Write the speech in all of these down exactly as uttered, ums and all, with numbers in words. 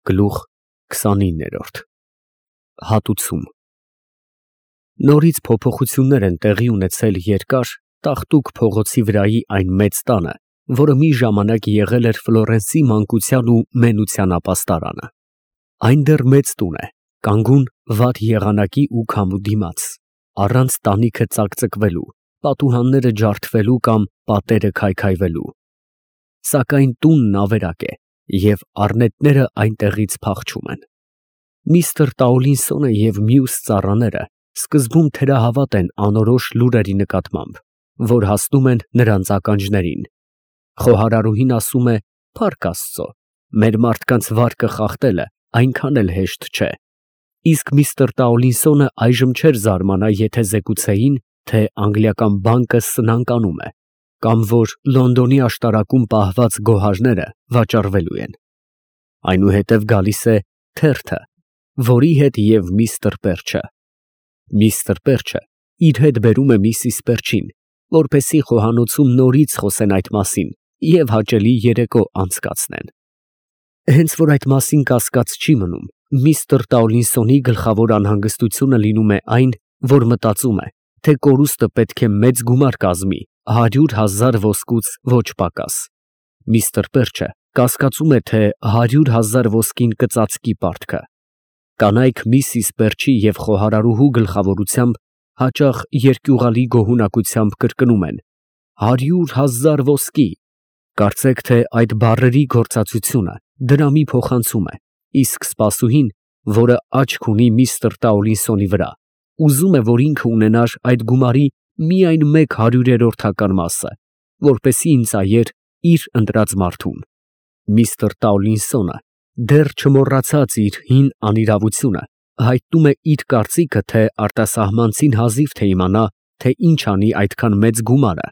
Գլուխ քսանիններորդ Հատուցում Նորից փոփոխություններ են տեղի ունեցել երկար, տաղտուկ փողոցի վրայի այն մեծ տանը, որը մի ժամանակ եղել էր Ֆլորենսի մանկության ու մենության ապաստարանը։ Այն դեռ մեծ տուն է, կանգուն վատ եղանակի ու քամու դիմաց, առանց տանիքը ծակծկվելու, պատուհանները ջարդվելու կամ պատերը քայքայվելու։ Սակայն տունն ավերակ է, և առնետները այնտեղից փախչում են։ Միստր Տաուլինսոնը և մյուս ծառաները սկզբում թերահավատ են անորոշ լուրերի նկատմամբ, որ հասնում են նրանց ականջներին։ Խոհարարուհին ասում է. «Փառք Աստծո, մեր մարդկանց վարկը խախտելը այնքան էլ հեշտ չէ», իսկ միստր Տաուլինսոնը այժմ չէր զարմանա, եթե զեկուցեին, թե անգլիական բանկը սնանկանում է, կամ որ Լոնդոնի աշտարակում պահված գոհարները վաճառվելու են։ Այնուհետև գալիս է թերթը, որի հետ և միստր Պերչը։ Միստր Պերչը իր հետ բերում է միսիս Պերչին, որպեսզի խոհանոցում նորից խոսեն այդ մասին և հաճելի երեկո անցկացնեն։ Հենց որ այդ մասին կասկած չի մնում, միստր Տաուլինսոնի գլխավոր անհանգստությունը լինում է այն, որ մտածում է, թե կորուստը պետք է մեծ գումար կազմի, հարյուր հազար ոսկուց ոչ պակաս։ Միստր Պերչը կասկածում է, թե հարյուր հազար ոսկին կծածկի պարտքը։ Կանայք միսիս Պերչի և խոհարարուհու գլխավորությամբ հաճախ երկյուղալի գոհունակությամբ կրկնում են. «Հարյուր հազար ոսկի», կարծեք, թե այդ բառերի գործածությունը դրամի փոխանցում է, իսկ սպասուհին, որը աչք ունի միստր Տաուլինսոնի վրա, ուզում է, որ ինքը ունենար այդ գումարի միայն մեկ հարյուրերորդական մասը, որպեսզի ինծայեր իր ընտրած մարդուն։ Միստր Տաուլինսոնը, դեռ չմոռացած իր հին անիրավությունը, հայտնում է իր կարծիքը, թե արտասահմանցին հազիվ թե իմանա, թե ինչ անի այդքան մեծ գումարը,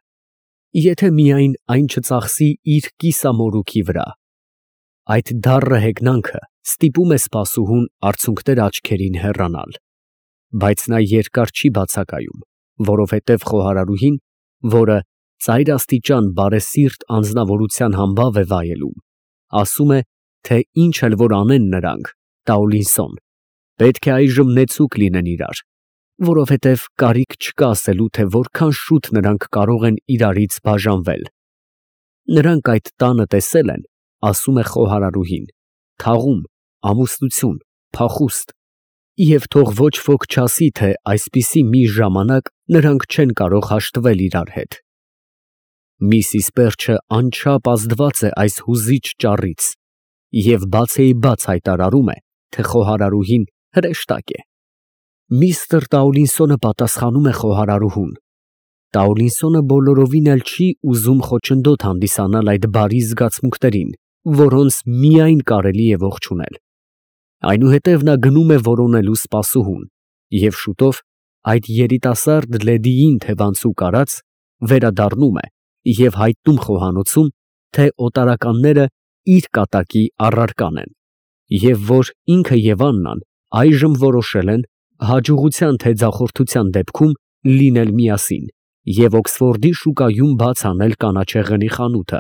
եթե միայն այն չծախսի իր կիսամորուքի վրա։ Այդ դառը հեգնանքը ստիպում է սպասուհուն արցունքներ աչքերին հեռանալ։ Բայց նա երկար չի բացակայում, որովհետև խոհարարուհին, որը ծայրաստիճան բարեսիրտ անձնավորության համբավ է վայելում, ասում է, թե ինչ էլ որ անեն նրանք, Տաուլինսոն, պետք է այժմ նեցուկ լինեն իրար, որովհետև կարիք չկա ասելու, թե որքան շուտ նրանք կարող են իրարից բաժանվել։ Նրանք այդ տանը տեսել են, ասում է խոհարարուհին, թաղում, ամուսնություն, փախուստ, և թող ոչ ոք չասի, թե այսպիսի մի ժամանակ նրանք չեն կարող հաշտվել իրար հետ։ Միսիս Պերչը անչափ ազդված է այս հուզիչ ճառից և բացեիբաց հայտարարում է, թե խոհարարուհին հրեշտակ է։ Միստր Տաուլինսոնը պատասխանում է խոհարարուհուն։ Տաուլինսոնը բոլորովին էլ չի ուզում խոչընդոտ հանդիսանալ այդ բարի զգացմունքներին, որոնց միայն կարելի է ողջունել։ Այնուհետև նա գնում է որոնելու սպասուհուն և շուտով, այդ երիտասարդ լեդիին թևանցուկ արած, վերադառնում է և հայտնում խոհանոցում, թե օտարականները իր կատակի առարկան են, և որ ինքը և Աննան այժմ որոշել են հաջողության թե ձախորդության դեպքում լինել միասին և Օքսֆորդի շուկայում բաց անել կանաչեղենի խանութը,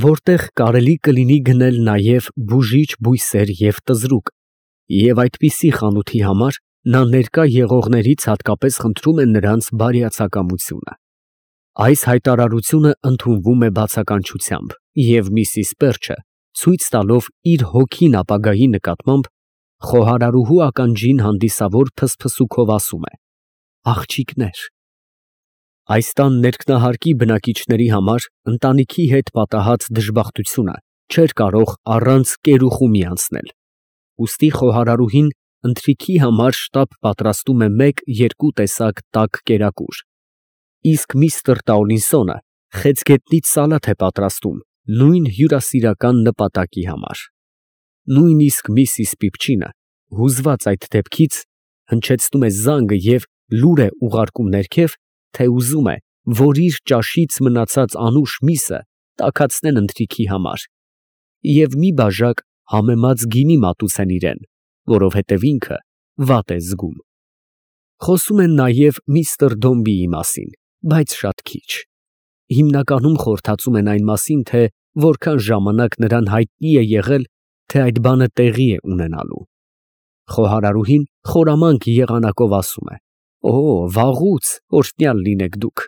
որտեղ կարելի կլինի գնել նաև բուժիչ բույսեր և տզրուկ, և այդպիսի խանութի համար նա ներկա եղողներից հատկապես խնդրում է նրանց բարյացակամությունը։ Այս հայտարարությունը ընդունվում է բացականչությամբ, և միսիս Պերչը, ցույց տալով իր հոգին ապագայի նկատմամբ, խոհարարուհու ականջին հանդիսավոր փսփսուքով ասում է. «Աղջիկներ»։ Այս տան ներքնահարկի բնակիչների համար ընտանիքի հետ պատահած դժբախտությունը չէր կարող առանց կերուխումի անցնել, ուստի խոհարարուհին ընթրիքի համար շտապ պատրաստում է մեկ֊երկու տեսակ տաք կերակուր, իսկ միստր Տաուլինսոնը խեցգետնից սալաթ է պատրաստում նույն հյուրասիրական նպատակի համար։ Նույնիսկ միսիս Պիպչինը, հուզված այդ դեպքից, հնչեցնում է զանգը և լուր է ուղարկում ներքև, թե ուզում է, որ իր ճաշից մնացած անուշ միսը տաքացնեն ընթրիքի համար և մի բաժակ համեմած գինի մատուցեն իրան, որովհետև ինքը վատ է զգում։ Խոսում են նաև միստր Դոմբիի մասին, բայց շատ քիչ։ Հիմնականում խորհրդածում են այն մասին, թե որքան ժամանակ նրան հայտնի է եղել, թե այդ բանը տեղի է ունենալու։ Խոհարարուհին խորամանկ եղանակով ասում է. «Օ, վաղուց, օրհնյալ լինեք դուք,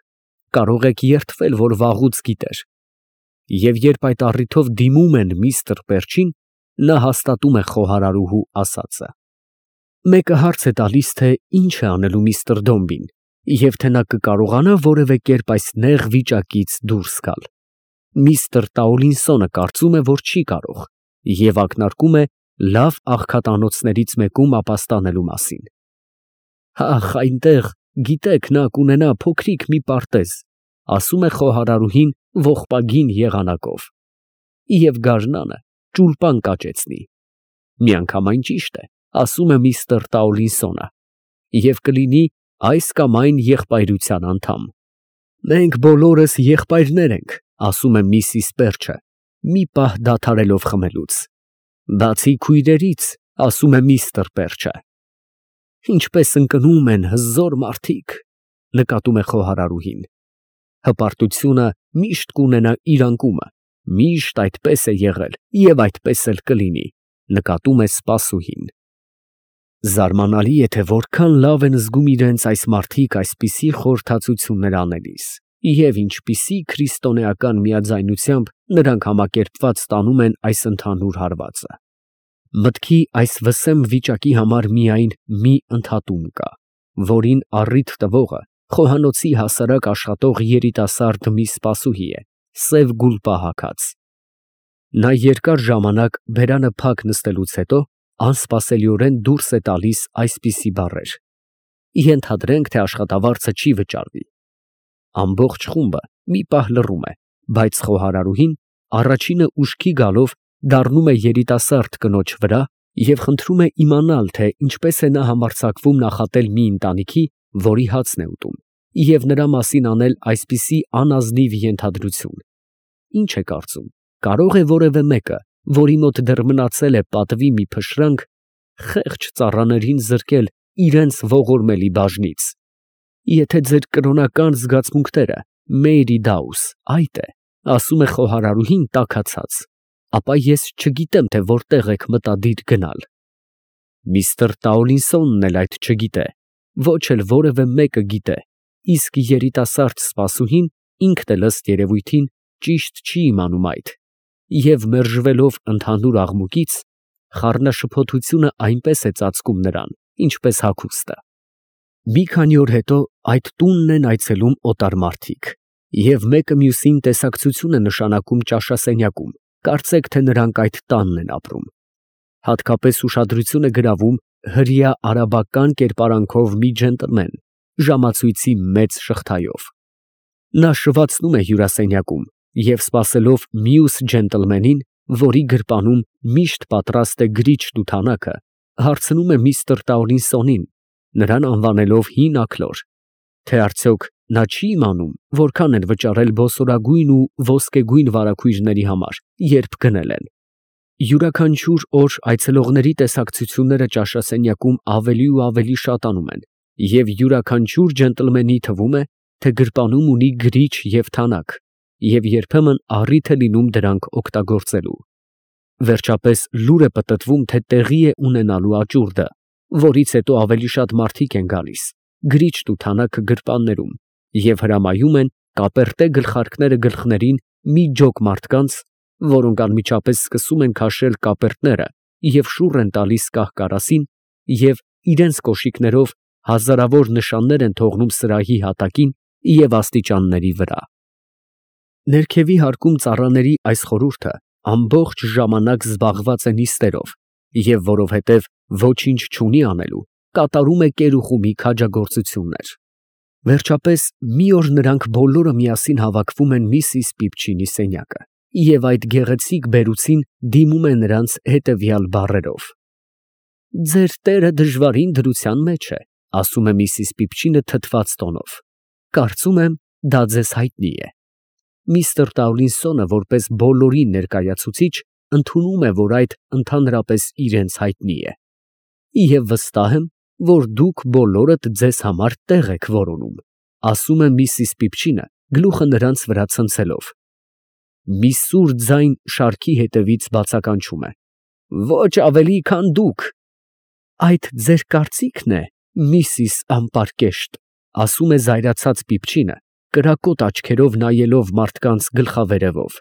կարող եք երդվել, որ վաղուց գիտեր»։ Եվ երբ այդ առիթով դիմում են միստր Պերչին, նա հաստատում է խոհարարուհու ասածը։ Մեկը հարց է տալիս, թե ինչ է անելու միստր Դոմբին, և թե նա կկարողանա որևէ կերպ այս նեղ վիճակից դուրս գալ։ Միստր Տաուլինսոնը կարծում է, որ չի կարող, և ակնարկում է լավ աղքատանոցներից մեկում ապաստանելու մասին։ Ախ, այնտեղ, գիտեք, նա կունենա փոքրիկ մի պարտեզ, ասում է խոհարարուհին ողբագին եղանակով, և գարնանը ճուլպան կաճեցնի։ Միանգամայն ճիշտ է, ասում է միստր Տաուլինսոնը, և կլինի այս կամ այն եղբայրության անդամ։ Մենք բոլորս եղբայրներ ենք, ասում է միսիս Պերչը, մի պահ դադարելով խմելուց։ Բացի քույրերից, ասում է միստր Պերչը։ Ինչպես ընկնում են հզոր մարդիկ, նկատում է խոհարարուհին։ Հպարտությունը միշտ կունենա իր անկումը, միշտ այդպես է եղել և այդպես էլ կլինի, նկատում է սպասուհին։ Զարմանալի է, թե որքան լավ են զգում իրենց այս մարդիկ այսպիսի խորհրդածություններ անելիս, և ինչպիսի քրիստոնեական միաձայնությամբ նրանք համակերպված ստանում են այս ընդհանուր հարվածը։ Մտքի այս վսեմ վիճակի համար միայն մի ընդհատում կա, որին առիթ տվողը խոհանոցի հասարակ աշխատող երիտասարդ մի սպասուհի է, սև գուլպա հագած։ Նա երկար ժամանակ բերանը փակ նստելուց հետո անսպասելիորեն դուրս է տալիս այսպիսի բառեր. ենթադրենք, թե աշխատավարձը չի վճարվի։ Ամբողջ խումբը մի պահ լռում է, բայց խոհարարուհին առաջինը ուշքի գալով դառնում է երիտասարդ կնոջ վրա և խնդրում է իմանալ, թե ինչպես է նա համարձակվում նախատել մի ընտանիքի, որի հացն է ուտում, և նրա մասին անել այսպիսի անազնիվ ենթադրություն։ Ինչ է կարծում, կարող է որևէ մեկը, որի մոտ դեռ մնացել է պատվի մի փշրանք, խեղճ ծառաներին զրկել իրենց ողորմելի բաժնից։ Եթե ձեր կրոնական զգացմունքները Մեյրի Դաուս այդ է, ասում է խոհարարուհին տաքացած, ապա ես չգիտեմ, թե որտեղ եք մտադիր գնալ։ Միստր Տաուլինսոնն էլ այդ չգիտե, ոչ էլ որևէ մեկը գիտե, իսկ երիտասարդ սպասուհին ինքն էլ ըստ երևույթին ճիշտ չի իմանում այդ, և մերժվելով ընդհանուր աղմուկից, խառնաշփոթությունը այնպես է ծածկում նրան, ինչպես հագուստը։ Մի քանի օր հետո այդ տունն են այցելում օտար մարդիկ, և մեկը մյուսին տեսակցություն է նշանակում ճաշասենյակում, կարծեք, թե նրանք այդ տանն են ապրում։ Հատկապես ուշադրություն է գրավում հրեա արաբական կերպարանքով մի ջենտլմեն, ժամացույցի մեծ շղթայով։ Նա շվացնում է հյուրասենյակում և սպասելով մյուս ջենտլմենին, որի գրպանում միշտ պատրաստ է գրիչն ու թանակը, հարցնում է միստր Տաուլինսոնին, նրան անվանելով հին աքլոր, թե արդյոք նա չի իմանում, որքան են վճարել բոսորագույն ու ոսկեգույն վարագույրների համար, երբ գնել են։ Յուրաքանչյուր օր այցելողների տեսակցությունները ճաշասենյակում ավելի ու ավելի շատանում են, և յուրաքանչյուր ջենտլմենի թվում է, թե գրպանում ունի գրիչ և թանակ, և երբեմն առիթ է լինում դրանք օգտագործելու։ Վերջապես լուր է պտտվում, թե տեղի է ունենալու աճուրդը, որից հետո ավելի շատ մարդիկ են գալիս, գրիչն ու թանակը գրպաններում, և հրամայում են կապերտե գլխարկները գլխներին մի ջոկ մարդկանց, որոնք անմիջապես սկսում են քաշել կապերտները և շուռ են տալիս կահ֊կարասին և իրենց կոշիկներով հազարավոր նշաններ են թողնում սրահի հատակին և աստիճանների վրա։ Ներքևի հարկում ծառաների այս խորհուրդը ամբողջ ժամանակ զբաղված է նիստերով և որովհետև ոչինչ չունի անելու, կատարում է կերուխումի քաջագործություններ։ Վերջապես մի օր նրանք բոլորը միասին հավաքվում են միսիս Պիպչինի սենյակը, և այդ գեղեցիկ բերուցին դիմում է նրանց հետևյալ բառերով. «Ձեր տերը դժվարին դրության մեջ է», ասում է միսիս Պիպչինը թթված տոնով, «կարծում եմ, դա ձեզ հայտնի է»։ Միստր Տաուլինսոնը, որպես բոլորի ներկայացուցիչ, ընդունում է, որ այդ ընդհանրապես իրենց հայտնի է։ Եվ վստահ եմ, որ դուք բոլորդ ձեզ համար տեղ եք որոնում, ասում է միսիս Պիպչինը, գլուխը նրանց վրա ցնցելով։ Մի սուր ձայն շարքի հետևից բացականչում է. Ոչ ավելի, քան դուք։ Այդ ձեր կարծիքն է, միսիս Անպարկեշտ, ասում է զայրացած Պիպչինը, կրակոտ աչքերով նայելով մարդկանց գլխավերևով։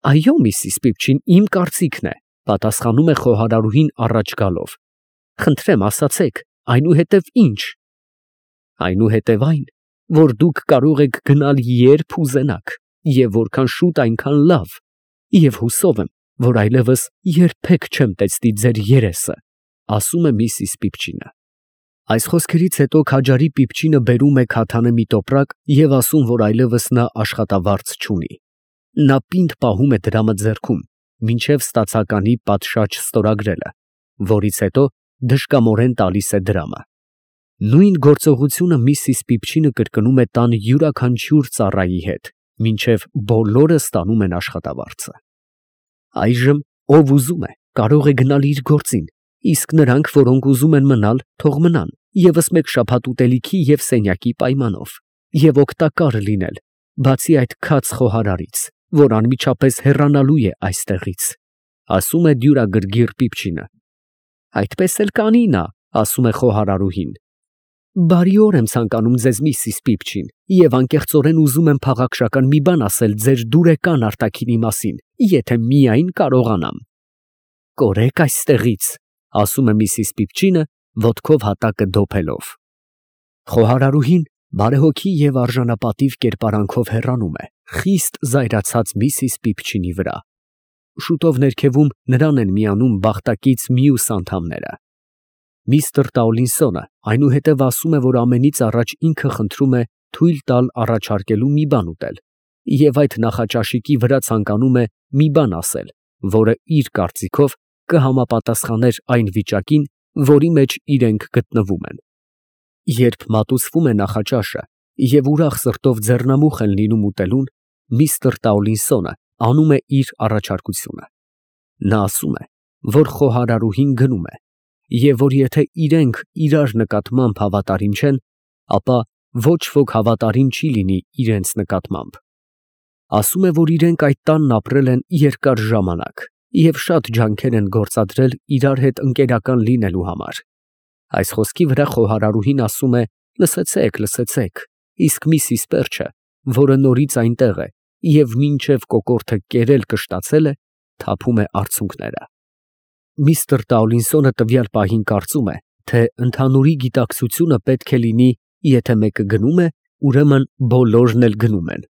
Այո, միսիս Պիպչին, իմ կարծիքն է, պատասխանում է խոհարարուհին առաջ գալով։ Խնդրեմ, ասացեք, այնուհետև ինչ։ Այնուհետև այն, որ դուք կարող եք գնալ երբ ուզենաք, և որքան շուտ այնքան լավ, և հուսով եմ, որ այլևս երբեք չեմ տեսնի ձեր երեսը, ասում է միսիս Պիպչինը։ Այս խոսքերից հետո քաջարի Պիպչինը բերում է քաթանը մի տոպրակ և ասում, որ այլևս նա աշխատավարձ չունի։ Նա պինդ պահում է դրամը ձեռքում, մինչև ստացականի պատշաճ ստորագրելը, որից հետո դժկամորեն տալիս է դրամը։ Նույն գործողությունը միսիս Պիպչինը կրկնում է տան յուրաքանչյուր ծառայի հետ, մինչև բոլորը ստանում են աշխատավարձը։ Այժմ ով ուզում է, կարող է գնալ իր գործին, իսկ նրանք, որոնք ուզում են մնալ, թող մնան, ևս մեկ շաբաթ ուտելիքի և սենյակի պայմանով, և օգտակար լինել, բացի այդ քաջ խոհարարից, որ անմիջապես հեռանալու է այստեղից, ասում է դյուրագրգիռ Պիպչինը։ Այդպես էլ կանի նա, ասում է խոհարարուհին։ Բարի օր եմ ցանկանում ձեզ, միսիս Պիպչին, և անկեղծորեն ուզում եմ փաղաքշական մի բան ասել ձեր դուրեկան արտաքինի մասին, եթե միայն կարողանամ։ Կորեք այստեղից, ասում է միսիս Պիպչինը, ոտքով հատակը դոփելով։ Խոհարարուհին բարեհոգի և արժանապատիվ կերպարանքով հեռանում է, խիստ զայրացած միսիս Պիպչինի վրա։ Շուտով ներքևում նրան են միանում բախտակից մյուս անդամները։ Միստր Տաուլինսոնը այնուհետև ասում է, որ ամենից առաջ ինքը խնդրում է թույլ տալ առաջարկելու մի բան ուտել, և այդ նախաճաշիկի վրա ցանկանում է մի բան ասել, որը իր կարծիքով կհամապատասխաներ այն վիճակին, որի մեջ իրենք գտնվում են։ Երբ մատուցվում է նախաճաշը և ուրախ սրտով ձեռնամուխ են լինում ուտելուն, միստր Տաուլինսոնը անում է իր առաջարկությունը։ Նա ասում է, որ խոհարարուհին գնում է, և որ եթե իրենք իրար նկատմամբ հավատարիմ չեն, ապա ոչ ոք հավատարիմ չի լինի իրենց նկատմամբ։ Ասում է, որ իրենք այդ տանն ապրել են երկար ժամանակ և շատ ջանքեր են գործադրել իրար հետ ընկերական լինելու համար։ Այս խոսքի վրա խոհարարուհին ասում է. լսեցեք, լսեցեք, իսկ միսիս Պերչը, որը նորից այնտեղ է և մինչև կոկորդը կերել կշտացել է, թափում է արցունքները։ Միստր Տաուլինսոնը տվյալ պահին կարծում է, թե ընդհանուրի գիտակցությունը պետք է լինի, եթե մեկը գնում է, ուրեմն բոլորն էլ գնում են։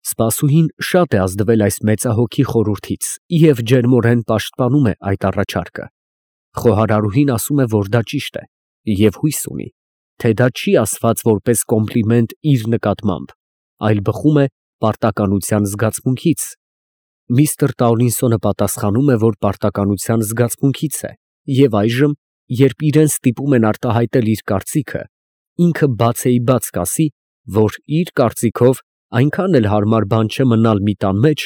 Սպասուհին շատ է ազդվել այս մեծահոգի խորհրդից և ջերմորեն պաշտպանում է այդ առաջարկը։ Խոհարարուհին ասում է, որ դա ճիշտ է, և հույս ունի, թե դա չի ասված որպես կոմպլիմենտ իր նկատմամբ, այլ բխում է պարտականության զգացմունքից։ Միստր Տաուլինսոնը պատասխանում է, որ պարտականության զգացմունքից է, և այժմ, երբ իրեն ստիպում են արտահայտել իր կարծիքը, ինքը բացեիբաց կասի, որ իր կարծիքով այնքան էլ հարմար բան չէ մնալ մի տան մեջ,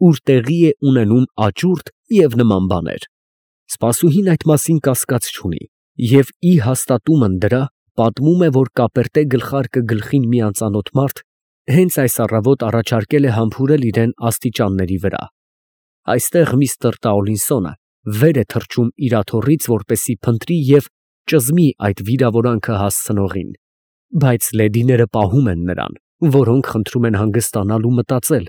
ուր տեղի է ունենում աճուրդ և նման բաներ։ Սպասուհին այդ մասին կասկած չունի և ի հաստատումն դրա պատմում է, որ կապերտե գլխարկը գլխին մի անծանոթ մարդ հենց այս առավոտ առաջարկել է համբուրել իրան աստիճանների վրա։ Այստեղ միստր Տաուլինսոնը վեր է թռչում իր աթոռից, որպեսզի փնտրի և ճզմի այդ վիրավորանքը հասցնողին, բայց լեդիները պահում են նրան, որոնք խնդրում են հանգստանալ ու մտածել,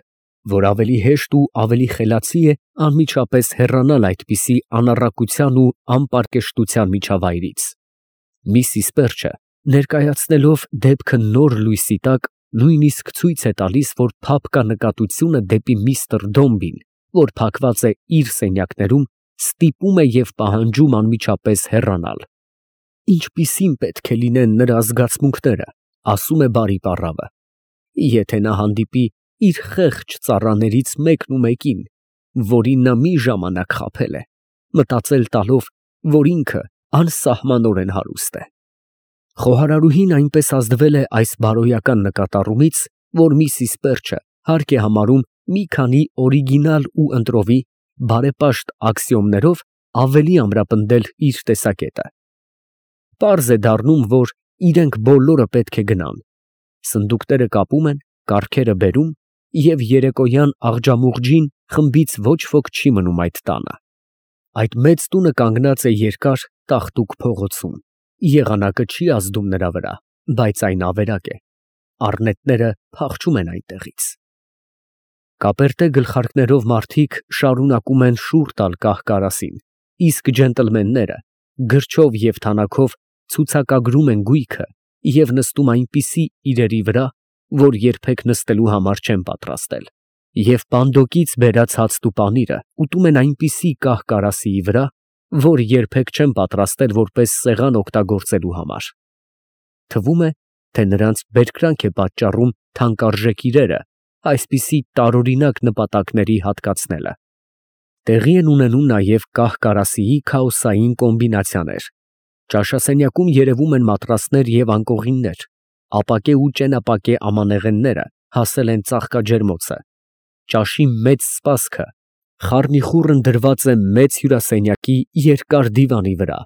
որ ավելի հեշտ ու ավելի խելացի է անմիջապես հեռանալ այդպիսի անառակության ու անպարկեշտության միջավայրից։ Միսիս Պերչը, ներկայացնելով դեպքը նոր լույսի տակ, նույնիսկ ցույց է տալիս, որ փափ կա նկատությունը դեպի միստր Դոմբին, որ փակված է իր սենյակներում, ստիպում է և պահանջում անմիջապես հեռանալ։ Ինչպիսին պետք է լինեն նրա զգացմունքները, ասում է բարի պառավը, եթե նա հանդիպի իր խեղճ ծառաներից մեկն ու մեկին, որին նա մի ժամանակ խաբել է, մտածել տալով, որ ինքը անսահմանորեն հարուստ է։ Խոհարարուհին այնպես ազդվել է այս բարոյական նկատառումից, որ միսիս Պերչը հարկ է համարում մի քանի օրիգինալ ու ընտրովի բարեպաշտ աքսիոմներով ավելի ամրապնդել իր տեսակետը։ Պարզ է դառնում, որ իրենք բոլորը պետք է գնան։ Սնդուկները կապում են, կառքերը բերում, և երեկոյան աղջամուղջին խմբից ոչ ոք չի մնում այդ տանը։ Այդ մեծ տունը կանգնած է երկար տաղտուկ փողոցում, եղանակը չի ազդում նրա վրա, բայց այն ավերակ է, առնետները փախչում են այնտեղից։ Կապերտե գլխարկներով մարդիկ շարունակում են շուռ տալ կահ֊կարասին, իսկ ջենտլմենները գրչով և թանաքով ցուցակագրում են գույքը և նստում այնպիսի իրերի վրա, որ երբեք նստելու համար չեն պատրաստել, և պանդոկից բերած հացն ու պանիրը ուտում են այնպիսի կահ֊կարասիի վրա, որ երբեք չեն պատրաստել որպես սեղան օգտագործելու համար։ Թվում է, թե նրանց բերկրանք է պատճառում թանկարժեք իրերը այսպիսի տարօրինակ նպատակների հատկացնելը։ Տեղի են ունենում նաև կահ֊կարասիի քաոսային կոմբինացիաներ։ Ճաշասենյակում երևում են մատրասներ և անկողիններ, ապակե ու ճենապակե ամանեղենները հասել են ծաղկաջերմոցը, ճաշի մեծ սպասքը խառնիխուռն դրված է մեծ հյուրասենյակի երկար դիվանի վրա,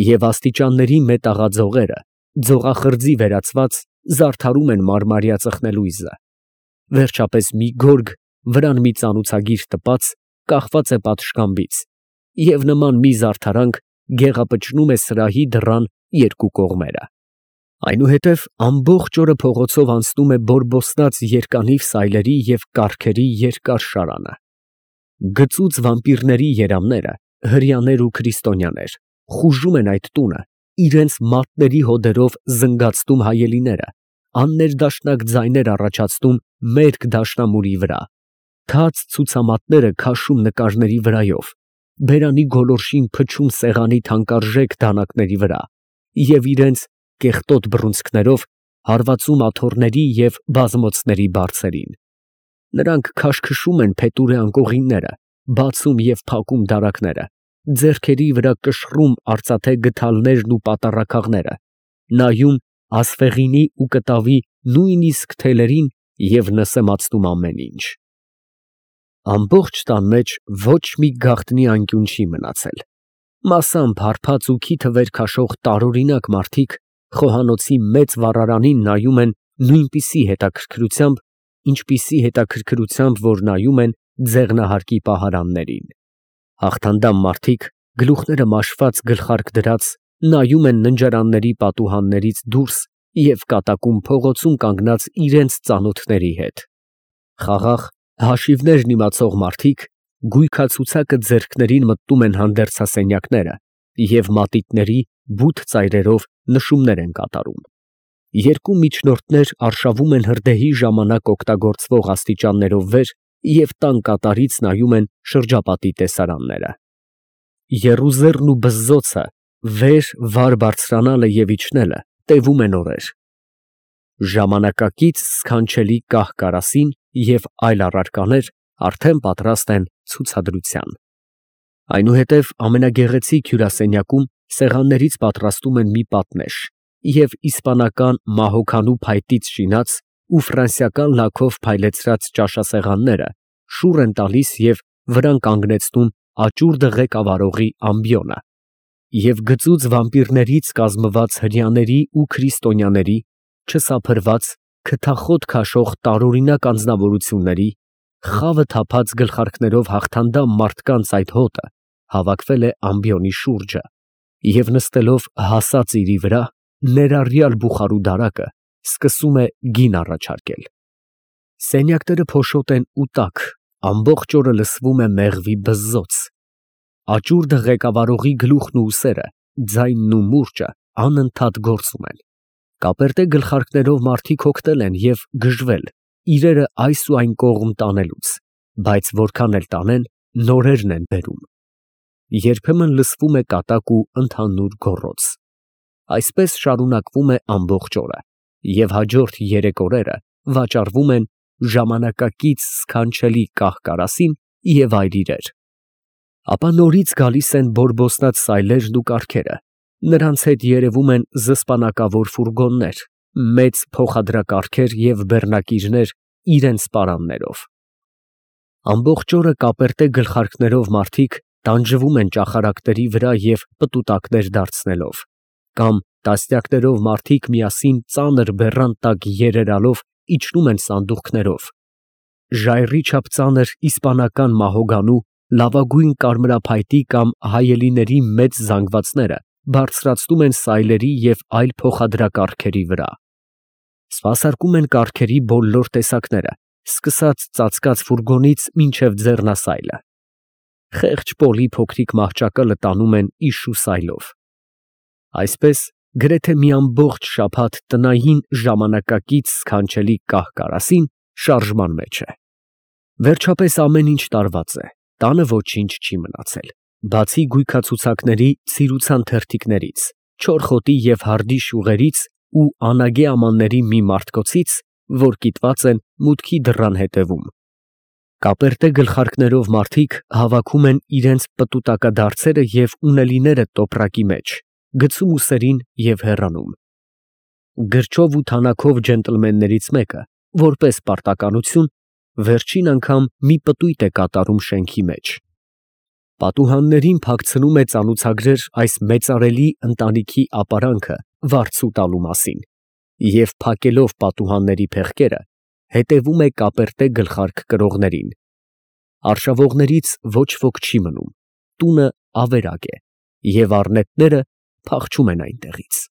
և աստիճանների մետաղաձողերը, ձողախրձի վերածված, զարդարում են մարմարյա ծխնելույզը։ Վերջապես մի գորգ, վրան մի ծանուցագիր տպած, կախված է պատշգամբից, և նման մի զարդարանք գեղապճնում է սրահի դռան երկու կողմերը։ Այնուհետև ամբողջ օրը փողոցով անցնում է բորբոստած երկանիվ սայլերի և կառքերի երկար շարանը։ Գծուծ վամպիրների երամները, հրեաներ ու քրիստոնյաներ, խուժում են այդ տունը, իրենց մատների հոդերով զնգացնում հայելիները, աններդաշնակ ձայներ առաջացնում մերկ դաշնամուրի վրա, թաց ցուցամատները քաշում նկարների վրայով, բերանի գոլորշին փչում սեղանի թանկարժեք դանակների վրա և իրենց կեղտոտ բռունցքներով հարվածում աթոռների և բազմոցների բարձերին։ Նրանք քաշքշում են փետուրե անկողինները, բացում և փակում դարակները, ձեռքերի վրա կշռում արծաթե գդալներն ու պատառաքաղները, նայում ասֆեղինի ու կտավի նույնիսկ թելերին և նսեմացնում ամեն ինչ։ Ամբողջ տան մեջ ոչ մի գաղտնի անկյուն չի մնացել, մասամբ հարբած ու քիթը վեր քաշող տարօրինակ մարդիկ խոհանոցի մեծ վառարանին նայում են նույնպիսի հետաքրքրությամբ, ինչպիսի հետաքրքրությամբ, որ նայում են ձեղնահարկի պահարաններին։ Հաղթանդամ մարդիկ, գլուխները մաշված գլխարկ դրած, նայում են ննջարանների պատուհաններից դուրս և կատակում փողոցում կանգնած իրենց ծանոթների հետ։ Խաղաղ, հաշիվներն իմացող մարդիկ գույքացուցակը ձեռքներին մտնում են հանդերձասենյակները և մատիտների բութ ծայրերով նշումներ են կատարում։ Երկու միջնորդներ արշավում են հրդեհի ժամանակ օգտագործվող աստիճաններով վեր և տան կատարից նայում են շրջապատի տեսարանները։ Եռուզեռն ու բզզոցը վեր վար բարձրանալը և իջնելը տևում են օրեր։ Ժամանակակից սքանչելի կահ֊կարասին և այլ առարկաներ արդեն պատրաստ են ցուցադրության։ Այնուհետև ամենագեղեցիկ հյուրասենյակում սեղաններից պատրաստում են մի պատնեշ և իսպանական մահոքանու փայտից շինած ու ֆրանսիական լաքով փայլեցրած ճաշասեղանները շուռ են տալիս և վրան կանգնեցնում աճուրդը ղեկավարողի ամբիոնը, և գծուծ վամպիրներից կազմված հրեաների ու քրիստոնյաների, չսափրված, քթախոտ քաշող տարօրինակ անձնավորությունների, խավը թափած գլխարկներով հաղթանդամ մարդկանց այդ հոտը հավաքվել է ամբիոնի շուրջը և նստելով հասած իրի վրա, ներառյալ բուխարու դարակը սկսում է գին առաջարկել։ Սենյակները փոշոտ են ու տաք, ամբողջ օրը լսվում է մեղվի բզզոց։ Աճուրդը ղեկավարողի գլուխն ու ուսերը, ձայնն ու մուրճը անընդհատ գործում են։ Կապերտե գլխարկներով մարդիկ հոգնել են և գժվել, իրերը այս ու այն կողմ տանելուց, բայց որքան էլ տանեն, նորերն են բերում։ Երբեմն լսվում է կատակ ու ընդհանուր գոռոց։ Այսպես շարունակվում է ամբողջ օրը, և հաջորդ երեք օրերը վաճառվում են ժամանակակից սքանչելի կահ֊կարասին և այլ իրեր։ Ապա նորից գալիս են բորբոստած սայլերն ու կառքերը, նրանց հետ երևում են զսպանակավոր ֆուրգոններ, մեծ փոխադրակառքեր և բեռնակիրներ իրենց պարաններով։ Ամբողջ օրը կապերտե գլխարկներով մարդիկ տանջվում են ճախարակների վրա և պտուտակներ դարձնելով, կամ տասնյակներով մարդիկ միասին ծանր բեռան տակ երերալով իջնում են սանդուղքներով, ժայռի չափ ծանր իսպանական մահոգանու լավագույն կարմրափայտի կամ հայելիների մեծ զանգվածները բարձրացնում են սայլերի և այլ փոխադրակարգերի վրա։ Սպասարկում են կառքերի բոլոր տեսակները, սկսած ծածկած ֆուրգոնից մինչև ձեռնասայլը։ Խեղճ Պոլի փոքրիկ մահճակալը տանում են իշու սայլով։ Այսպես, գրեթե մի ամբողջ շաբաթ տնային ժամանակակից սքանչելի կահ֊կարասին շարժման մեջ է։ Վերջապես ամեն ինչ տարված է, տանը ոչինչ չի մնացել, բացի գույքացուցակների ցիրուցան թերթիկներից, չոր խոտի և հարդի շյուղերից ու անագե ամանների մի մարտկոցից, որ կիտված են մուտքի դռան ետևում։ Կապերտե գլխարկներով մարդիկ հավաքում են իրենց պտուտակադարձերը և ունելիները տոպրակի մեջ, գցում ուսերին և հեռանում։ Գրչով ու թանաքով ջենտլմեններից մեկը, որպես պարտականություն, վերջին անգամ մի պտույտ է կատարում շենքի մեջ։ Պատուհաններին փակցնում է ծանուցագրեր այս մեծարելի ընտանիքի ապարանքը վարձու տալու մասին և, փակելով պատուհանների փեղկերը, հետևում է կապերտե գլխարկ կրողներին։ Արշավողներից ոչ ոք չի մնում, տունը ավերակ է, և առնետները փախչում են այնտեղից։